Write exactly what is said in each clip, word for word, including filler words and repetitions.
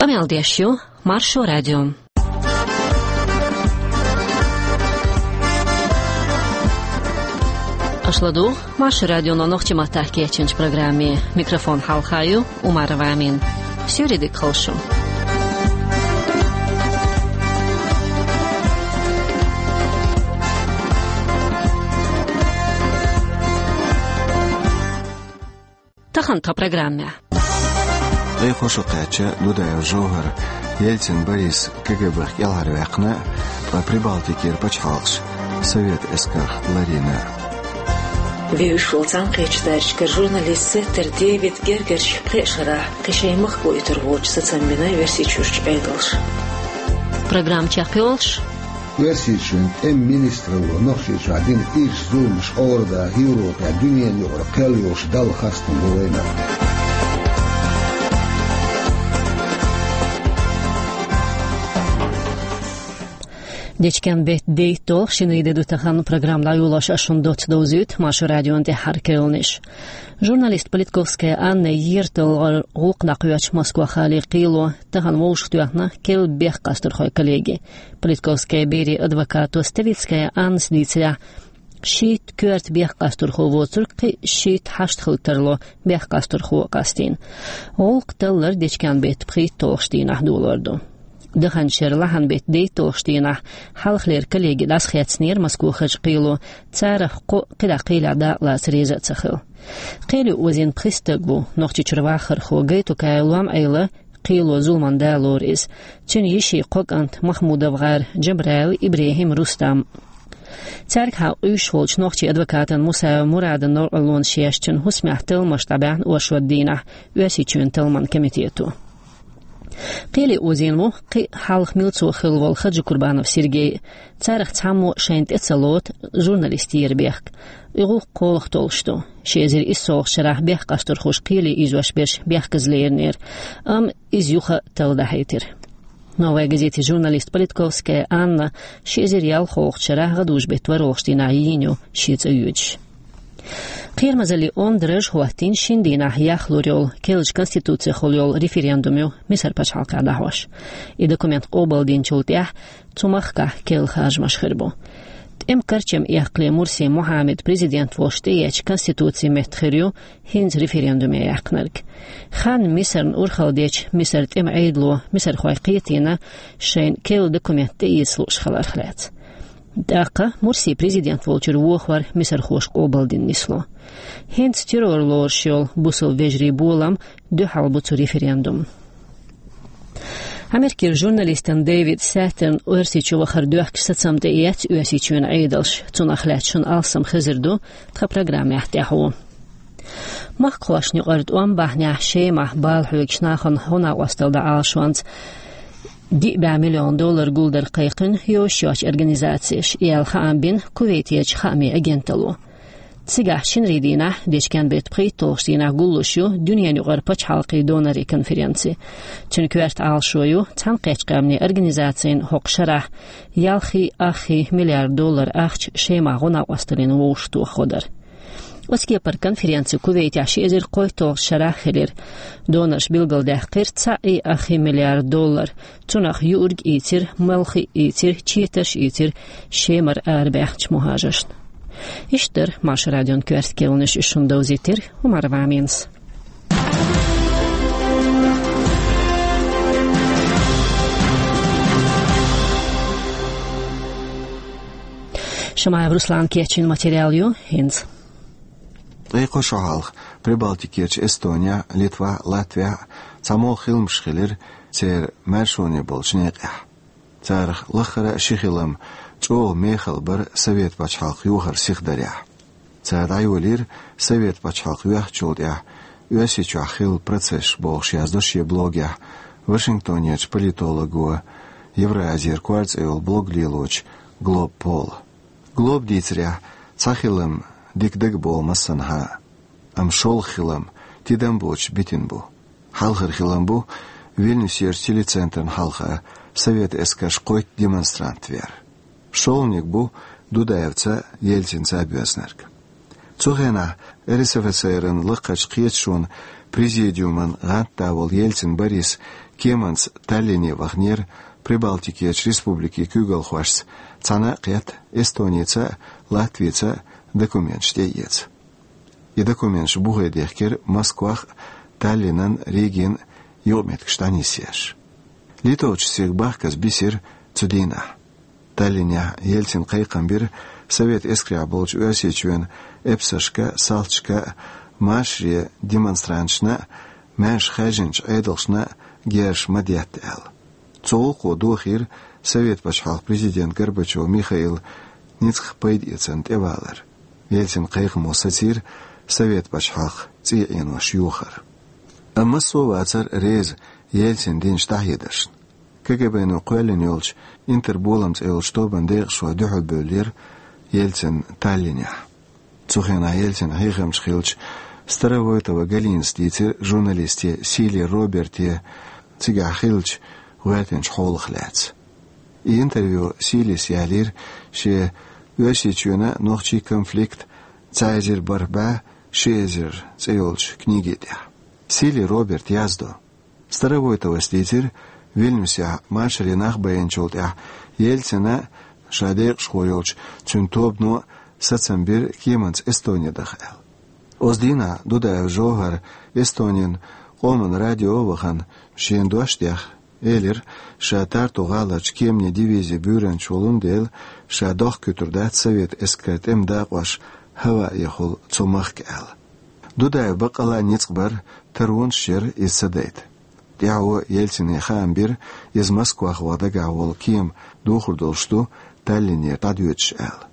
Къамел деш ю Маршо радио. Аша ладугӀу Маршо радионо нохчийн маттахь кечйинчу программе. Микрофон хьалха ю Умарова Амина. Суьйре дика хуьлда шун. Тахана тхан программехь. Ткъе кхо шо кхаьчча, Дудаев ЖовхӀар Ельцин Борис КГБ-х кӀелхьарваьккхина, ткъа Прибалтикера пачхьалкхаш Совет эскарх ларйина. Вевзаш волу цхьаьнакхеттачу даржашкара журналист Сеттер Дэвида гергарчу пхеа шарахь кхин шайн махко оьцур волчу сацам бина Оьрсийчуьрчу Ӏедалша. Программа чекхйолуш, Оьрсийчоьнан тӀеман министралло Нохчийчохь дина ирча зуламаш Ӏорада Европехь дуьненан юкъара кхел йолуш Далла хастам бу вайна. Дечкен беттан дейтталгӀа шинарин де ду тахана. Программа дӀайолош ас шуна доцца довзуьйту Маршо радион тӀаьххьара керланаш. Журналист Политковская Анна ерталгӀар гӀуллакх дӀакхоьхьуш Москва-хали кхело тахана вовшахтоьхна керла бехккъастархойн коллеги. Политковская берийн адвокато Ставицкая Аннас дийцарехь, шийтта коьрта бехккъастархо воцург кхин шийтта хьашт хила тарло бехккъастархо а къастийна. ГӀуллакх таллар дечкен беттан пхийтталгӀачу дийнахь долор ду. Даханчу шеран лахьанан беттан дейтталгӀачу дийнахь хьалхалера коллеги дӀасахецнера Москвахарчу кхело, царах кхоъ кхидӀа кхелехь дакъалаца реза а ца хилла. Кхеле озийна пхи стаг ву, Нохчийчуьра вахархо Гайтукаев Лом-Ӏела, кхело зуламан да лору иза, цуьнан йишин кхо кӀант Махмудов-гӀар Джабраил, ИбрахӀим, Рустам. Цаьргахьа къуьйсуш волчу нохчийн адвокатан Мусаев Мурадан новкъарлонаш еш, цуьнан хӀусамехь талламаш дӀабаьхьна оршот дийнахь Оьрсийчоьнан талламан комитето. Кхеле озийна ву кхин а хьалха милцо хилла волу Хаджикурбанов Сергей. Царах цхьаммо шайна тӀе ца лоцу журналист яран бехк. И гӀуллакх кхолах толлуш ду. Ши эзар иссалгӀачу шарахь бехккъастархоша кхеле ийзош берш бехказа леринера, амма иза юха а талла дахьийтира. «Новая газетин» журналист Политковская Анна ши эзар ялхолгӀачу шарахь гӀадужу беттан ворхӀалгӀачу дийнахь йийна ю шен цӀа йоьдуш. Кхерамазаллин онда раж хӀоттийна шина дийнахь яхлур йолу керлачу конституцехула йолу референдум ю Мисар пачхьалкхехь дӀахьош. И документ къобалдинчул тӀаьхьа цу махкахь керла харжамаш хир бу. ТӀеман карчам эккхале Мурси Мухьаммад президент волуш тӀеэцча конституцин метта хир ю хӀинца референдуме яьккхинарг. Хан Мисарна урхалла дечу Мисар тӀеман Ӏедало мисархой кхетийна шайна керла документ тӀеэца лууш хиларх лаьцна. ТӀаккха Мурси президент волчуьра вохор мисархоша къобалдина нисло. ХӀинца террор лоруш йолу бусалба вежарийн болам дуьхьал бу цу референдумна. Америкера журналистан Дэвид Саттерн Оьрсийчу вахар доьхкуш сацам тӀеэцна Оьрсийчоьнан Ӏедалша. Цунах лаьцна шуна алсам хезар ду тхан программехь тӀаьхьо. Махкахошна юкъара тӀом бахьанехь Шемахь бала хьоьгучу нахана гӀо-накъосталла дан Ӏалашонца диъ бӀе миллион доллар гулдар кхайкхина йозуш йоцчу организацеша, и аьлла хаам бина Кувейтерчу хаамийн агенталло. Цигахь шинарин дийнахь, дечкен беттан пхийтталгӀачу дийнахь гуллуш ю дуьненан юкъара пачхьалкхийн донорийн конференци. Цуьнан коьрта Ӏалашо ю Цхьаьнакхеттачу Къаьмнийн Организацин хӀокху шарахь ялхий, аххий миллиард доллар ахча Шемахь гӀо-накъосталлина вовшахтоха гӀо дар. Оцу кепара конференци Кувейтехь ши эзар кхойтталгӀачу шарахь хилира. Донорша билгалдаьккхира цхьаъ и аххий миллиард доллар. Цунах юург ийцира, малх ийцира, четарш ийцира Шемара арабаьхначу мухӀажаршна. Иштта дара Маршо радион коьрта керланаш, уьш шуна довзийтира Умарова Аминас. Шамаев Руслана кечйина материал ю хӀинца. Ткъе кхо шо хьалха Прибалтикерчу Эстонехь, Литвахь, Латвехь цхьа молха хиламаш хилира церан маьршоне болчу некъехь. Царах лаххара а ши хилам чӀогӀа мехала бара Совет пачхьалкх йохар сиха дарехь. Цара дӀайолийра Совет пачхьалкх йоьхначул тӀаьхьа Оьрсийчохь хилла процессаш, бохуш яздо шен блогехь Вашингтонерчу политолого, Евразера кор цӀе йолу блог лелочу Глоб Пола. Глоба дийцарехь, цхьа хилам дика дагаболу массанхьа а, амма шолгӀа хилам тидам боцуш битина бу. Хьалхара хилам бу Вильнюсерчу телецентрна хьалха совет эскарша кхойтта демонстрант вер. ШолгӀаниг бу Дудаевца, Ельцинца а боьзнарг. Цу хенахь РСФСР-ан лакхарчу кхеташонан Президиуман гӀантда волу Ельцин Борис кеманца Таллине ваханера Прибалтикерчу республикийн куьйгалхошца цхьаьна а кхетта, Эстоница а, Латвица а документаш тӀеэца. И документаш бухе дехкира Москвах а, Таллинан а, Ригин а юкъаметтигаш дӀанисъеш. Литовчу стеган бахказа бисира цу дийнахь. Таллинехь Ельцина кхайкхам бира Совет эскарехь болчу Оьрсийчоьнан эпсаршка а, салташка а, машаре демонстранташна а, маьрша хаьржинчу Ӏедалшна а герзаш ма детта аьлла. Цу гӀуллакхо дохийра Совет пачхьалкхан президент Горбачев Михаил ницкъах пайдаэцарна тӀевалар. Ельцина кхайкхамо сацийра Совет пачхьалкхан цӀий Ӏенош йохар. Амма массо а вацара реза Ельцина динчу дӀахьедаршна. КГБ-но кхоьллина йолчу «Интерболам» цӀе йолчу тобанан декъашхой дуьхьалбевллера Ельцинна Таллинехь. Цу хенахь Ельцинан хьехамча хиллачу Старовойтова Галинас дийцира журналисте Сили Роберте цигахь хиллачу гӀоьртинчу хьолах лаьцна. И интервью Силис ялийра шен «Оьрсийчоьнан а, нохчийн конфликт цхьа эзар бархӀ бӀе ши эзар» цӀе йолчу книги тӀехь. Сили Роберта яздо: Старовойтовас дийцира, Вильнюсехь машаре нах байинчул тӀаьхьа Ельцина а, ша декъашхо йолчу цуьнан тобано а сацам бира кеманца Эстоне даха аьлла. Оцу дийнахь Дудаев Жовхара Эстонин къоман радио а вахана, шена дош а дехна, элира, ша Тарту гӀаларчу кеманийн дивизин буьйранча волун дела, ша дохкуьйтур дац Совет эскаран тӀеман дакъош хӀаваэхула цу махка аьлла. Дудаев баккъалла а ницкъ бара, таронаш яра иза ца дайта. ТӀаьхьо Ельцине хаам бира, иза Москвах ваха дагахь волу кема духур долуш ду Таллинера дӀадоьдуш аьлла.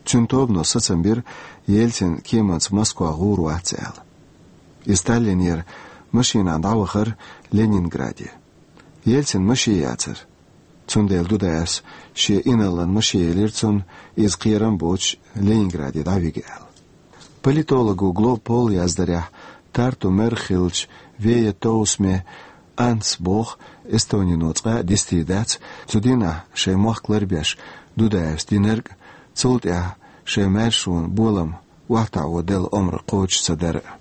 Цуьнан тобано сацам бира, Ельцин кеманца Москвах гӀур вац аьлла. Иза Таллинера машинахь дӀавахара Ленинграде. Ельцина машен яцара. Цундела Дудаевс шен инарлан машен елира цунна, иза кхерам боцуш Ленинграде дӀавига аьлла. Политолого Глоб Пола яздарехь, Тарту мэр хиллачу Вея Тоусме Анс боху, Эстонино цкъа а дистийр дац цу дийнахь шайн мохк ларбеш Дудаевс динарг а, цул тӀаьхьа шайн маьршонан болам охьатаӀо делла омра кхочуш ца дара а.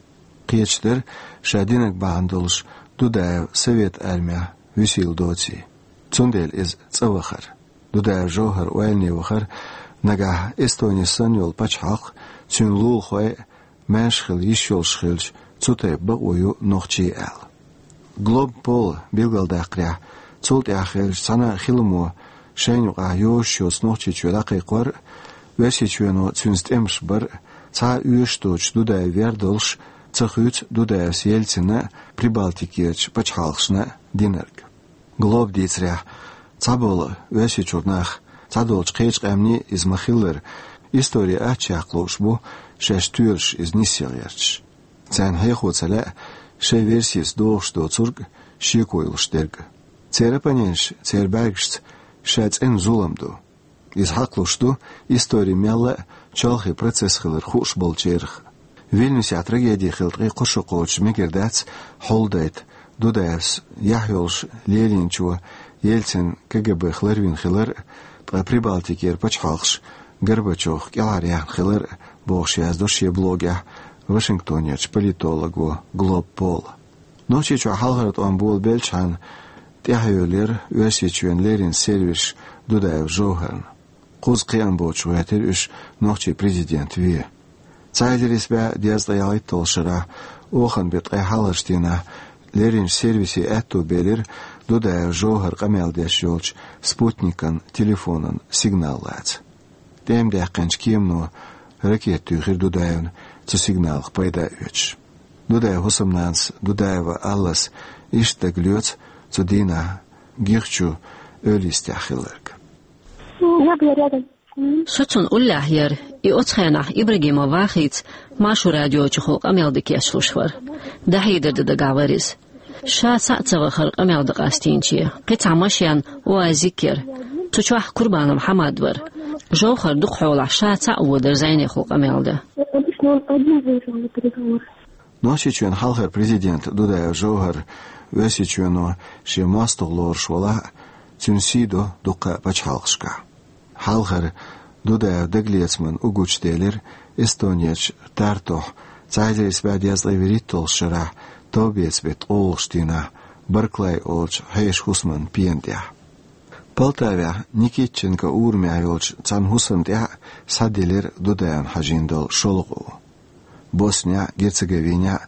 Кхеташ дара ша динарг бахьана долуш Дудаев Совет армехь вуьсийла доций. Цундела иза цӀа вахара. Дудаев Жовхар ойлане вахара, нагахь Эстони санна йолу пачхьалкх, цуьнан лулахой а маьрша хила йиш йолуш хилча, цу тайпа бакъо ю нохчийн аьлла. Глоб Пола билгалдаккхарехь, цул тӀаьхьа хиллачу цхьана а хиламо шайна юкъахь йозуш йоцу Нохчийчоь дӀакхайкхор а, Оьрсийчоьно цуьнца тӀемаш бар а, цхьа а оьшуш доцуш Дудаев вер долуш ца хуьйцу Дудаевс Ельцина а, Прибалтикерчу пачхьалкхашна а динарг. Глоба дийцарехь, цхьаболу Оьрсийчуьра нах, цхьадолчу кхечу къаьмнийн иза ма-хиллара, истори аччехьа лууш бу, шаьш тоьлуш иза нисъяла гӀерташ. Царна хьехо ца лаьа шайн версица догӀуш доцург а, шеко йолуш дерг а. Церан оппоненташ церан бӀаьргашца ша цӀена зулам ду. Иза хьакхалуш ду историн мелла а чолхе процесс хилар хууш болчарах. Вильнюсехь трагеди хилла ткъе кхо шо кхочуш мегар дац хьулдайта Дудаевс яхь йолуш лелийначо Ельцин КГБ-х ларвина хилар а, ткъа Прибалтикера пачхьалкхаш Горбачевх кӀелхьаръяьхна хилар а, бохуш яздо шен блогехь Вашингтонерчу политолого Глоб Пола. Нохчийчохь хьалхара тӀом болабелчхьана тӀаьхьайолаелира Оьрсийчоьнан леррина сервисаш Дудаев Жовхарна. Кхузза кхиам боцуш гӀоьртира уьш нохчийн президент вен. Цхьа эзар исс бӀе дезткъе ялхитталгӀачу шарахь, оханан беттан ткъе хьалхарчу дийнахь, лерринчу сервисе аьтто белира Дудаев Жовхар къамел деш йолчу спутникан телефонан сигнал лаца. ТӀема даьккхинчу кемано ракета туьйхира Дудаевна, цу сигналах пайда а оьцуш. Дудаевн хӀусамнанас Дудаева Аллас иштта дагалоьцу цу дийнахь Гихчу эвла йистехь хилларг. Я была рядом с ним. Со цунна уллехь яра, и оцу хенахь Ибрагимов Вахица Маршо радиочухула къамел дан кечлуш вара. ДӀахьедар дан дагахь вара иза. Ша цхьаъ ца вахара къамел дан къастийначийн, кхин цхьа машен, УАЗик яра. Цу чохь Курбанов Хьамад вара. Жовхар дукхахьолахь ша цхьаъ водара зӀенехула къамел дан. Обычно он один выезжал на переговоры. Нохчийчоьнан хьалхара президент Дудаев Жовхар Оьрсийчоьно шен мостагӀ лоруш валахь а, цуьнан сий до дуккха а пачхьалкхашкахь. Хьалхара Дудаевн дагалецаман уггучу делира Эстонерчу Тартухь цхьа эзар исс бӀе дезткъе вуьрхӀитталгӀачу шарахь Довбеца беттан ткъолгӀачу дийнахь Барклай олучу хьешан хӀусаман пена тӀехь. Полтавехь Никитченко урамехь йолчу цхьана хӀусамна тӀехь схьаделира Дудаевна хьажийна долу шолгӀа у. Боснехь а, Герцеговинехь а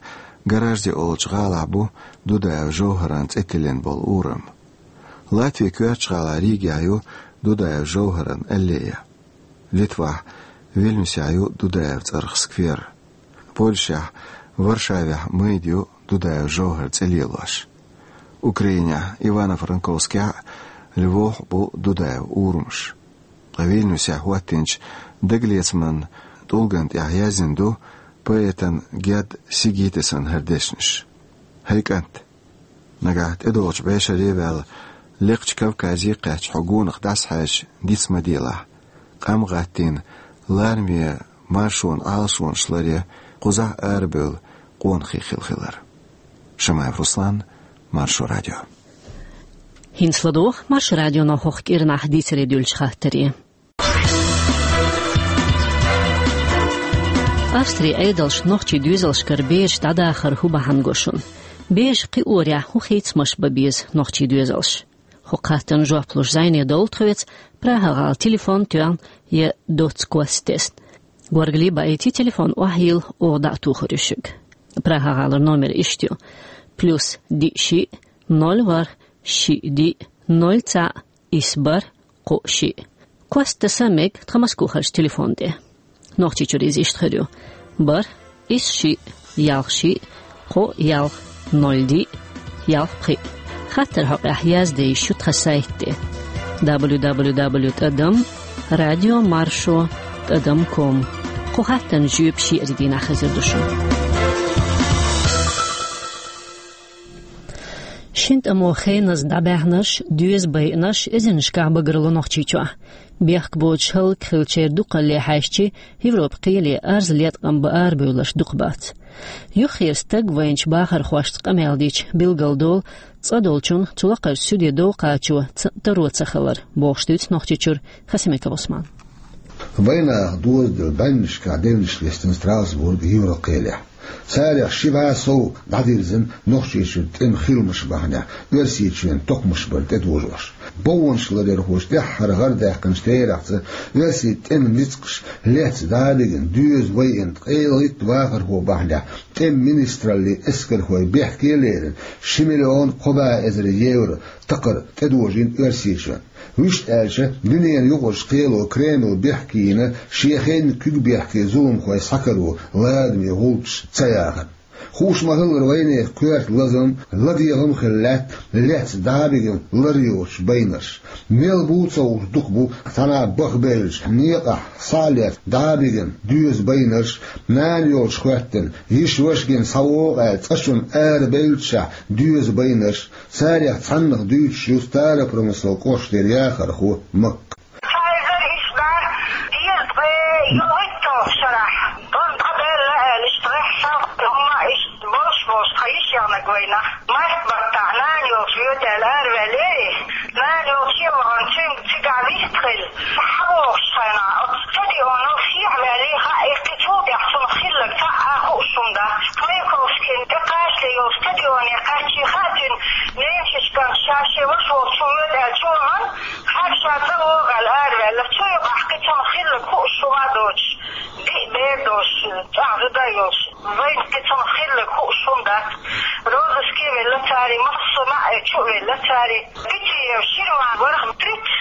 Гаражди олучу гӀалахь бу Дудаев ЖовхӀаран цӀе тиллина болу урам. Латвин коьртачу гӀалахь Ригехь ю Дудаев ЖовхӀаран аллея. Литвахь Вильнюсехь ю Дудаев цӀарах сквер. Польшехь Варшавехь майда ю Дудаев ЖовхӀаран цӀе лелош. Украинехь Ивано-Франковскехь а, Львовехь а бу Дудаев урамаш. Ткъа Вильнюсехь хӀоттийначу дагалецаман тӀулгана тӀехь яздина ду поэтан Геда Сигитисан хӀара дешнаш. ХӀай кӀант! Нагахь тӀедогӀучу бӀешаре а ваьлла, лекхачу Кавказе а кхаьчна хьо гонах дӀасахьаьжча диц ма делахь, къам гӀаттийна, лараме маршонан Ӏалашонаш ларъян кхузахь арабевлла къонахий хилла хилар. Шамаев Руслан, Маршо радио. ХӀинца ладогӀа Маршо радионо хӀокху кӀирнахь дийцаре дуьллучу хаттаре. Австрин Ӏедалша нохчийн доьзалшкара бераш дӀадахар хӀун бахьана го шуна? Бераш кхиорехь хӀун хийцамаш бан беза нохчийн доьзалша? ХӀокху хаттарна жоп луш зӀене довла тхоьца Прага-гӀала телефон тоьхна я доцца кост тесна. Горгали баийти, телефон охьайилла, оха дӀа а тухур ю шуьга. Прага-гӀалара номер иштта ю: плюс диъ шиъ, ноль ворхӀ, шиъ диъ, ноль цхьаъ, исс бархӀ, кхоъ шиъ. Кост таса мега тхан Москохарчу телефон тӀе. Нохчийчуьра иза иштта хир ю: бархӀ, исс шиъ, ялх шиъ, кхоъ ялх, ноль диъ, ялх пхиъ. Хаттар хьокъехь язде йиш ю тхан сайт тӀе: дабл ю дабл ю дабл ю тӀадам радио маршо тӀадам ком. Кху хаттарна жоьпаш шиъ-кхоъ дийнахь хезар ду шуна. Шина тӀамо хеназа дӀабаьхьнарш, доьза байинарш эзарнашкахь багарло Нохчийчохь. Бехк боцуш хӀаллакьхилчеран дукхалле хьаьжчи, Европан кхеле арз леткъам бан арабевлларш дукха бац. Юххера стаг вайначу бахархошца къамел дича билгалдолу, цкъа долчунна цу лакхарчу суьде дов кхачо ца-, таро ца хилар, бохуш дуьйцу Нохчийчуьра Хасимиков Ӏусмана. Вайнах дозаделла бӀеннашкахь девнаш листина Страсбург Европан кхелехь. Царех ши бӀе сов дӀадирзина Нохчийчуьра тӀеман хиламаш бахьанехь Оьрсийчоьнан токхамаш бар тӀедожош. Бовнаш ларъярхоша тӀаьххьара гӀардаьккхинчу терахьца оьрсийн тӀеман ницкъаш лаьцна дӀа а бигина, доьза байина ткъе итт вахархо бахьанехь тӀеман министраллин эскархой бехке а лерина, ши миллион кхо бӀе эзар евро такхар тӀедожийна Оьрсийчоьнна. Вуьшта аьлча, дуьненан юкъарчу кхело Кремль бехке йина, шен хенан куьг бехке зуламхой схьакаро ладаме гӀулчаш ца яхарна. Хууш ма-хиллара, вайнехан коьрта лазам, ладегӀам а хилла лаьтта лаьцна дӀа а бигина лар йоцуш байнарш. Мел бу ца хууш дукха бу цхьана бахбевллачу некъахь схьа а лаьцна дӀа а бигина доьза байнарш, нана йолчу хӀоьттина, йиша-ваша гина схьавогӀу аьлла цӀа чунна арабевллачохь доьза байнарш. Царех цхьаннах дуьйцуш ю Старопромыслан кӀоштара яхархо Макка. Цхьа эзар исс бӀе дезткъе ялхитталгӀачу шарахь, тӀом дӀадаьлла аьлла, иштта гӀеххьа шалхалла хӀумма а иштта болуш-болуш, тхан йиша ягӀнарг вайна. Март баттахь нана йолчу воьду аьлла араваьллера. Нана йолчу а вахана, цуьнга цигахь вистхилла, схьабогӀучу хенахь оцу стадионал сехьаваьлла, хаьа, кхин цул тӀаьхьа цунах хилларг цхьа а хууш хӀума дац. Маяковскин тӀекхачале йолу стадионе кхаьччи хаьа цуьнан, Ленчичкан ша шен ваша волчу воьду аьлла чу вахана, хьаьрча цӀа вогӀу аьлла араваьлла. Цу юкъахь кхин цунах хилларг хууш хӀума а доцуш, диъ бер долуш, чӀогӀа зуда а йолуш, вайна кхин цунах хилларг хууш хӀума дац. Розыске а велла цара, массо а маьӀӀе чу а велла цара. Гитиев Ширван вара, тридцать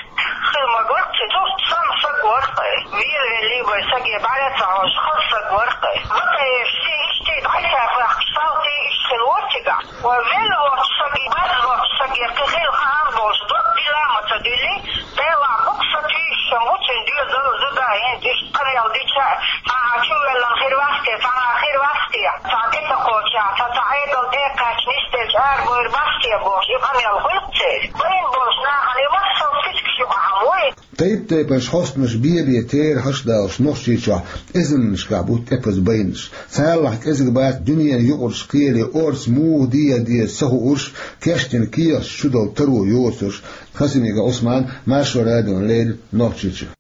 хила магар, цуьнан цхьа саг вара, велавелла вай саге бӀаьра ца хьожуш, хала саг вара. Батаевс иштта дӀасабаьхкаш, салтий иштта хила вара цигахь. Вай велла воцчу саге, база воцчу саге кхин хила хаам болуш, дог дила а ма ца дуьллий, Делахь букъ сатуьйсуш ма ву цуьнан доьзал, зуда а, хӀинца иштта къамел дича а, цхьа а чувоьллина хир вац те, цхьа а хир вац те, цхьа тӀе ца кхоччехь, цхьа, цхьа Ӏедал тӀе а кхаьчна, нисделча арабевр бац те бохуш, и къамел хуьлу церан. Байна болчу нахана и массо а физикаш юкъахь ма ву и. Тайп-тайпанчу хьостанаша бен-бен терахьаш а далуш, Нохчийчохь эзарнашкахь бу тӀепаза байнарш. Царалахь кӀезиг бац дуьненан юкъарчу кхеле орца муха деха деза ца хуурш, кечдина кехаташ чудала таро йоцурш. Хасимиков Ӏусман, Маршо радиона леррина, Нохчийчуьра.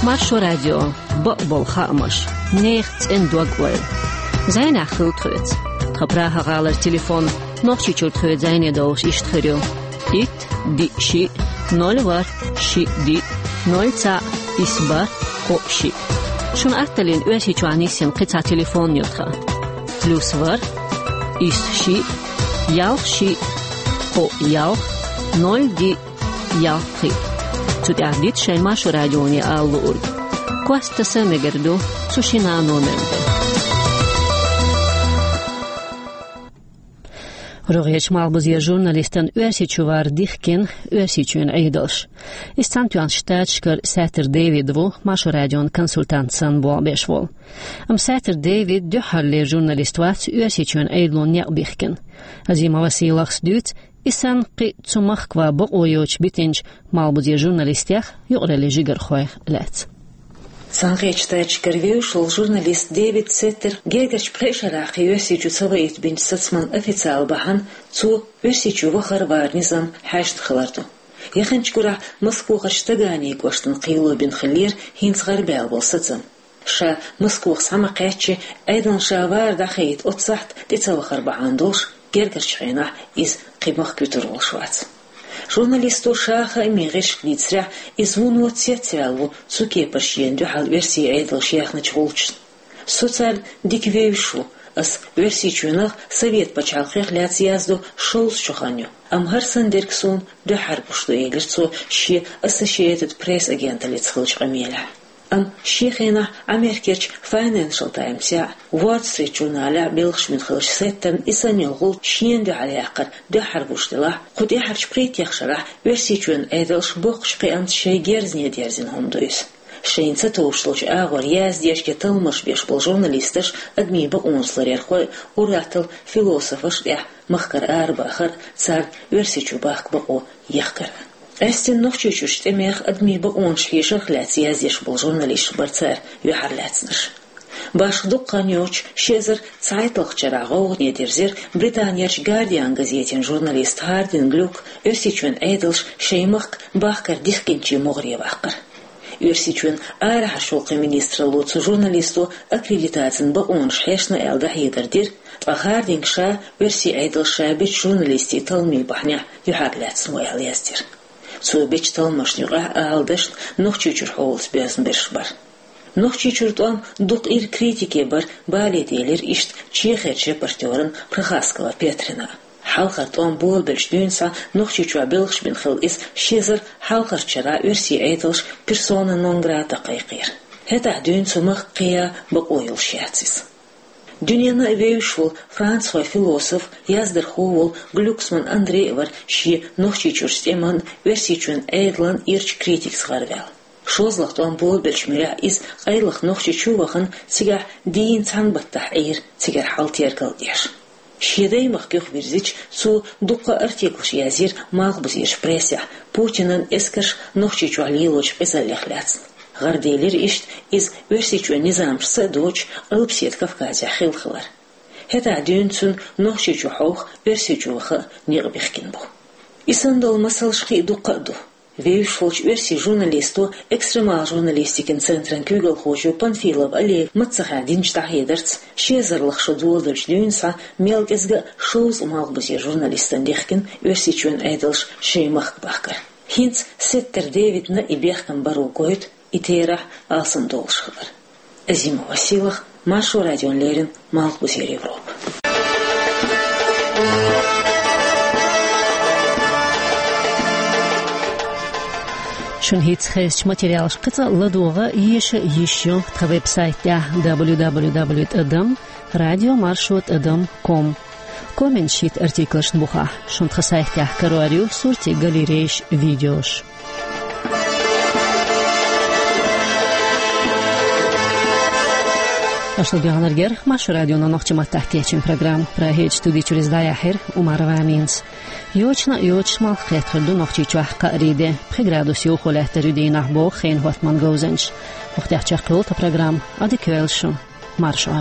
Маршо радио, бакъболу хаамаш, нехан цӀена дог-ойла. Зайнахь хила тхоьца. Тхан Прага-гӀалара телефон Нохчийчуьра тхоьца зайне довлуш иштта хир ю: итт, диъ, шиъ, ноль, ворхӀ, шиъ, диъ, ноль, цхьаъ, исс, бархӀ, кхоъ, шиъ. Шуна атталлина Оьрсийчохь нисйина кхин цхьа телефон ю тхан: плюс ворхӀ, исс, шиъ, ялх, шиъ, кхоъ, ялх, ноль, диъ, ялх, пхиъ. Цу тӀехь дита шайн Маршо радионе ала луург. Кост таса мегар ду цу шина номер тӀе. РогӀерчу малхбузера журналистан Оьрсийчу вар дихкина Оьрсийчоьнан Ӏедалша. Иза Цхьаьнатоьхначу Штаташкара Саттар Дэвид ву, Маршо радион консультант санна болх беш волу. Амма Саттар Дэвид дуьххьарлера журналист вац Оьрсийчоьнан Ӏедална некъ бихкина. Азимова Сийлахьас дуьйцу, и санна кхин а цу махкахь бакъо йоцуш битинчу малхбузера журналистех, юкъараллин жигархойх лаьцна. Цхьаьнакхеттачу Штаташкара вевзаш волу журналист Дэвид Сеттер гергарчу пхеа шарахь кхин Оьрсийчу ца ваийтабинчу сацаман официал бахьана цо Оьрсийчу вахар-варан низам хьаьжна хилар ду. Яханчу гурахь Москвахарчу Таганин кӀоштан кхело бина хиллера хӀинца гӀарабаьлла болу сацам. Ша Москвахь схьа ма-кхаьччи, Ӏедална ша вар дӀахаийта оццу сахьтехь тӀе ца вахар бахьана долуш, гергарчу хенахь иза кхин махка вуьтур волуш вац. Журналисто ша хаамийн гӀирсашка дийцарехь, иза вуно цецваьлла ву цу кепара шена дуьхьал оьрсийн Ӏедалша яьхначу гӀулчашна. Со царна дика вевзаш ву, ас Оьрсийчоьнах, Совет пачхьалкхех лаьцна яздо шовзткъа шо хан ю, амма хӀара санна дерг суна дуьххьара гуш ду, элира цо шен Associated Press агенталлица хиллачу къамелехь. Амма шен хенахь Америкерчу Financial Times-ехь, Wall Street журналехь белхаш бина хиллачу Сеттерна и санна йолу гӀулч шена дуьхьал яккхар дуьххьара гуш делахь, кху тӀаьхьарчу пхийтта шарахь Оьрсийчоьнан Ӏедалша боккхачу кхиамца шайн герзане дерзина хӀума ду иза. Шайна ца товш долчу агӀор яздеш я талламаш беш болу журналисташ адамийн бакъонаш ларъярхой, ур-атталла философаш тӀехь махкара арабахар, царна Оьрсийчу бахка бакъо яхкар. Къаьсттина Нохчийчуьрчу тӀемех, адамийн бакъонаш хьешарх лаьцна яздеш болу журналисташ бара цара юьхьарлаьцнарш. Башха дукха хан йоцуш, ши эзар цхьайтталгӀачу шарахь гӀовгӀане дирзира Британерчу Guardian газетан журналист Хардин Глюк Оьрсийчоьнан Ӏедалша шайн махка бахкар дихкинчийн могӀаре ваккхар. Оьрсийчоьнан арахьарчу гӀуллакхийн министралло цу журналисто аккредитацин бакъонаш хьешна аьлла дӀахьедар дира, ткъа Хардинга ша оьрсийн Ӏедалша ша бечу журналистийн талламийн бахьанехь юьхьарлаьцна ву аьлла яздира. Цо бечу талламашна юкъахь ала дашна Нохчийчуьра хьолаца боьзна берш бара. Нохчийчуьра тӀом дукха ира, критике бара, бале делира иштта Чехерчу репортёрна Прохаскова Петрина. Хьалхара тӀом болабеллачу дуьйна схьа Нохчийчохь белхаш бина хилла иза ши эзар хьалхарчу шарахь оьрсийн Ӏедалша персона нон грата кхайкхийра. ХӀетахь дуьйна цу махка кхиа бакъо йолуш яц иза. Дуьненна а вевзаш волу францхой философ, яздархо волу Глюксман Андрей вара шен Нохчийчуьрчу тӀеман, Оьрсийчоьнан Ӏедалан ирчу критикца гӀарваьлла. ШозлагӀа тӀом болабеллачу муьрехь иза къайлаха Нохчийчу вахана, цигахь дийнна цхьана баттахь Ӏийра, цигара хьал тергал деш. Шен даймахка юхавирзича, цо дуккха а артиклаш язйира малхбузерчу прессехь, Путинан эскарш Нохчийчохь лелочу къизаллех лаьцна. ГӀараделира иштта иза Оьрсийчоьнан низамашца а доцуш, Къилбаседа Кавказехь хилла хилар. ХӀетахь дуьйна цуьнан Нохчийчу хьовха Оьрсийчу ваха а некъ бихкина бу. И санна долу масалш кхин а дуккха а ду. Вевзаш волчу оьрсийн журналисто, экстремал журналистикан центран куьйгалхочо Панфилов Олега маццахьа динчу дӀахьедарца, ши эзарлгӀа шо доладелчу дуьйна схьа мел кӀезга а шовзткъа малхбузера журналистана дихкина Оьрсийчоьнан Ӏедалша шайн махка бахкар. ХӀинца Сеттер Дэвидна и бехкам баро гойту и терахь алсамдолуш хилар. Азимова Сийлахь, Маршо радиона леррина, Малхбузера Европа. Шуна хӀинца хезачу материалашкахь кхин цкъа ладогӀа, еша йиш ю тхан веб-сайтехь: дабл ю дабл ю дабл ю тӀадам радио маршо тӀадам ком. Комменташ йита артиклашна бухахь. Шуна тхан сайтехь карор ю суртийн галерейш, видеош. Аша ладоьгӀнарг яра Маршо радион нохчийн маттахь кечйина программа. Прагерчу студи чуьра иза дӀаяьхьира Умарова Аминас. Йочана а йоцуш, малх кхетар ду Нохчийчохь кхаарин де. Пхи градус йовхо лаьттар ю дийнахь, боху хенан хӀоттаман говзанчаша. ХӀокху тӀехь чекхйолу тхан программа. Ӏадика йойла шун. Маршо.